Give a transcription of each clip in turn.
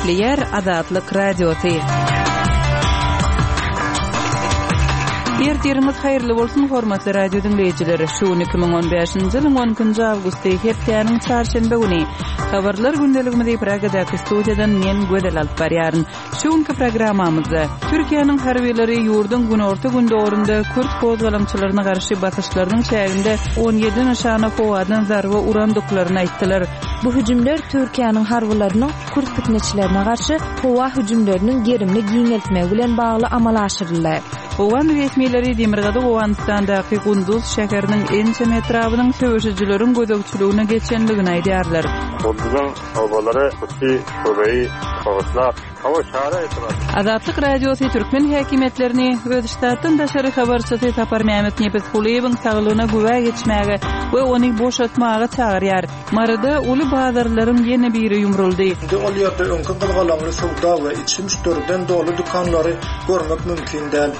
Gepleýär Azatlyk Radiosy. Ertiriňiz haýyrly bolsun, hormatly radio diňleýjiler! Şu gün 2015-nji ýylyň 12-nji awgusty, hepdäniň çarşenbe güni. Habarlar gündeligimizi Pragadaky studiýadan men Gözel alyp barýaryn. Şu günki programmamyzda Türkiýäniň harbylary ýurduň günorta-gündogarynda kürt gozgalaňçylaryna garşy basyşlarynyň çäginde 17 nyşana howadan zarba urandyklaryny aýtdylar. Bu hüjümler Türkiýäniň harbylarynyň kürt pitneçilerine garşy howa hüjümleriniň gerimini giňeltmegi bilen bagly amala aşyryldy. Owgan resmileri demirgazyk Owganystandaky Gunduz şäheriniň ençeme etrabynyň söweşijileriň gözegçiligine geçendigini aýdýarlar. Gunduzyň Obalary Kuçi, Köbeýi, Bagyşlap, Hawa, Çary etraby. Azatlyk Radiosy türkmen häkimiýetlerini öz ştatdan daşary habarçysy Saparmämmet Nepesgulyýewiň saglygyna güwä geçmäge we ony boşatmaga çagyrýar. Maryda uly bazarlaryň ýene biri ýumruldy. Indi ol ýerde öňki gyzgalaňly söwda we içi müşderiden doly dükanlary görmek mümkin däl.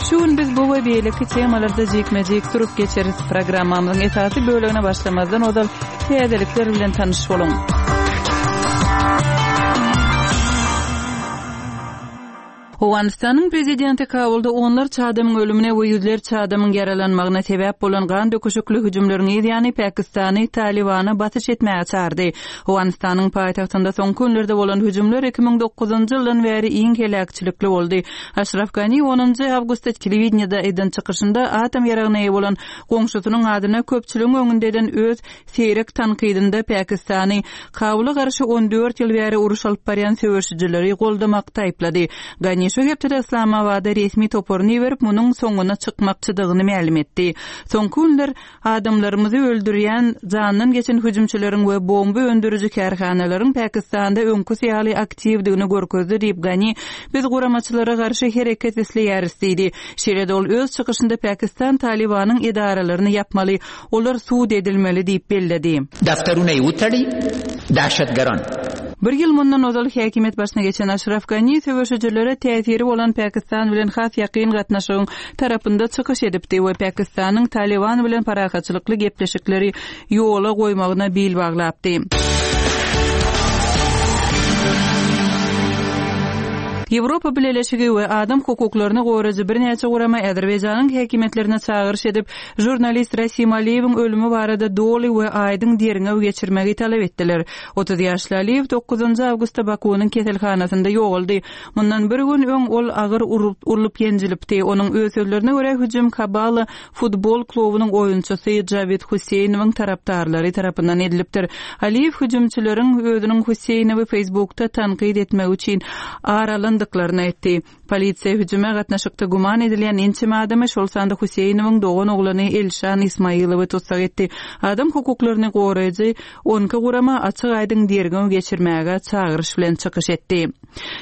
Şu gün biz bu we beýleki temalarda jikme-jik durup geçeris. Programmamyzyň esasy bölegine başlamazdan ozal täzelikler bilen tanyş boluň. Owganystanyň prezidenti Kabulda onlarça adamyň ölümine we ýüzlerçe adamyň ýaralanmagyna sebäp bolan gan döküşikli hüjümleriň yz ýany Pakistany Talybana basyş etmäge çagyrdy. Owganystanyň paýtagtynda soňky günlerde bolan hüjümler 2009-njy ýyldan bäri iň heläkçilikli boldy. Aşraf Gani onunjy awgustda telewideniýede eden çykyşynda atom ýaragyna eýe bolan goňşusynyň adyna köpçüligiň öňünde eden öz seýrek tankydynda Pakistany Kabula garşy 14 ýyl bäri uruş alyp barýan söweşijileri goldamakda aýyplady. Gani şu hepdede Yslamabada resmi toparyny iberip, munuň soňuna çykmakçydygyny mälim etdi. Soňky günler Adamlarymyzy öldürýän, jandan geçen hüjümçileriň we bomba öndüriji kärhanalaryň Pakistanda öňküsi ýaly aktiwdigini görkezdi diýip, Gani, Biz guramaçylara garşy hereket isleýäris diýdi. Şeýle-de ol öz çykyşynda Pakistan Talybanyň edaralaryny ýapmaly, olar sud edilmeli diýip belledi. Daftaruna ýe utari, dahşatgaran. Bir ýyl mundan ozal häkimiýet başyna geçen Aşraf Gani söweşijilere täsiri bolan Pakistan bilen has ýakyn gatnaşygyň tarapynda çykyş edipdi we Pakistanyň Talyban bilen parahatçylykly gepleşikleri ýola goýmagyna bil baglapdy. Ýewropa Bileleşigi we adam hukuklaryny goraýjy birnäçe gurama Azerbaýjanyň häkimiýetlerine çagyryş edip, žurnalist Rasim Aliýewiň ölümi barada doly we aýdyň derňew geçirmegi talap etdiler. 30 ýaşly Aliýew dokuzynjy awgustda Bakuwynyň keselhanasynda ýogaldy. Mundan bir gün öň ol agyr urlup-ýenjilipdi. Onuň öz sözlerine görä, hüjüm Kabala futbol klubunyň oýunçysy Jawid Huseýnowyň tarapdarlary tarapyndan edilipdir. Aliýew hüjümçileriň özüniň Huseýnowy Facebookda tankyt etmegi üçin ar alandyklaryny aýtdy. Polisiýa hüjüme gatnaşykda güman edilýän ençeme adamy, şol sanda Huseýnowyň doganoglany Elşan Ismailowy tussag etdi. Adam hukuklaryny goraýjy 12 gurama açyk-aýdyň derňew geçirmäge çagyryş bilen çykyş etdi.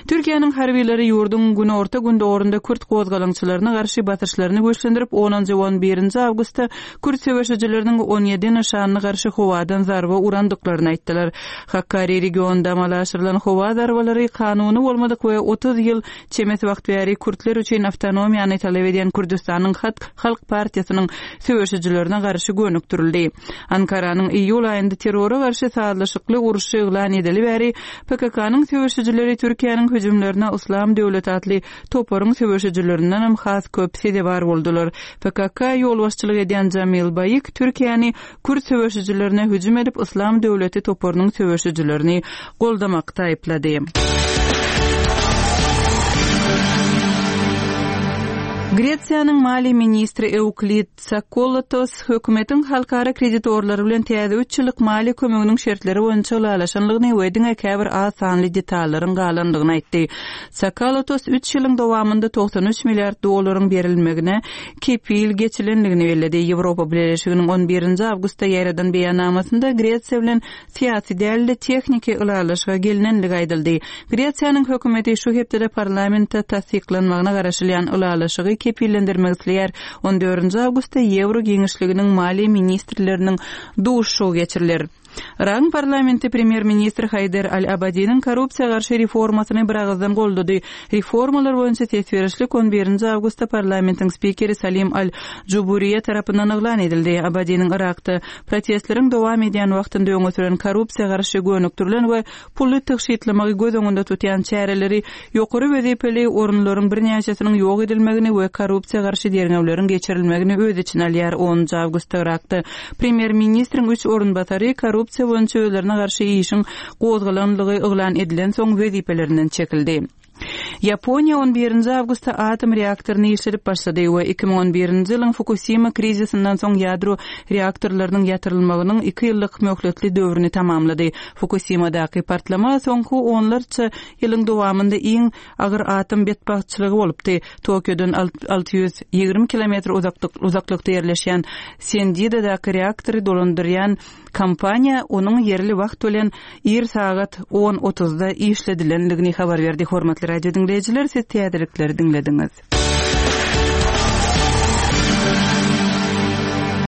Türkiýäniň harbylary ýurduň günorta-gündogarynda kürt gozgalaňçylaryna garşy basyşlaryny güýçlendirip, onunjy we on birinji awgustda kürt söweşijileriniň 17 nyşanyna garşy howadan zarba urandyklaryny aýtdylar. Hakkari regionynda amala aşyrylan howa zarbalary kanuny bolmadyk we 30 ýyl çemesi wagt bäri kürtler üçin awtonomiýany talap edýän Kürdüstanyň Halk partiýasynyň söweşijilerine garşy gönükdirildi. Ankaranyň iýul aýynda terrora garşy sazlaşykly urşy yglan edeli bäri PKK-nyň söweşijileri Türkiýäniň hüjümlerine Yslam döwleti atly toparyň söweşijilerindenem has köp sezewar boldular. PKK ýolbaşçylyk edýän Jamil Baýik Türkiýäni kürt söweşijilerine hüjüm edip Yslam döwleti toparynyň söweşijilerini goldamakda aýyplady. Gresiýanyň maliýe ministri Euklid Tsakalotos hökümetiň halkara kreditorlary bilen täze üç ýyllyk maliýe kömeginiň şertleri boýunça ylalaşanlygyny we diňe käbir az sanly detallaryň galandygyny aýtdy. Tsakalotos üç ýylyň dowamynda 93 milliard dollaryň berilmegine kepil geçilendigini belledi. Ýewropa Bileleşiginiň on birinji awgustda ýaýradan beýannamasynda Gresiýa bilen syýasy däl-de, tehniki ylalaşyga gelnendigi aýdyldy. Gresiýanyň hökümeti şu hepdede parlamentde tassyklanmagyna garaşylýan ylalaşygy kepillendirmek isleýär. On dördünji awgustda ýewro giňişliginiň maliýe ministrleriniň duşuşygy geçiriler. Yragyň parlamenti premýer-ministr Haýder al-Abadiniň korrupsiýa garşy reformasyny biragyzdan goldady. Reformalar boýunça ses berişlik on birinji awgustda parlamentiň spikeri Salim al-Juburiýe tarapyndan yglan edildi. Abadiniň Yrakda protestleriň dowam edýän wagtynda öňe süren korrupsiýa garşy gönükdirilen we puly tygşytlamagy göz öňünde tutýan çäreleri ýokary wezipeli orunlaryň birnäçesiniň ýok edilmegini we korrupsiýa garşy derňewleriň geçirilmegini öz içine alýar. Onunjy awgustda Yrakda premýer-ministriň üç orunbasary korrupsiýa boýunça özlerine garşy işiň gozgalanlygy yglan edilensoň wezipelerinden çekildi. Ýaponiýa on birinji awgustda atom reaktoryny işledip başlady we 2011-nji ýylyň Fukusima krizisinden soň ýadro reaktorlarynyň ýatyrylmagynyň iki ýyllyk möhletli döwrüni tamamlady. Fukusimadaky partlama soňky onlarça ýylyň dowamynda iň agyr atom betbagtçylygy bolupdy. Tokiodan 620 kilometr uzaklykda ýerleşýän Sendidadaky reaktory dolandyrýan Kompaniýa onuň ýerli wagt bilen ir sagat on otuzda işledilendigini habar berdi. Hormatly radio diňleýjiler, siz täzelikleri diňlediňiz.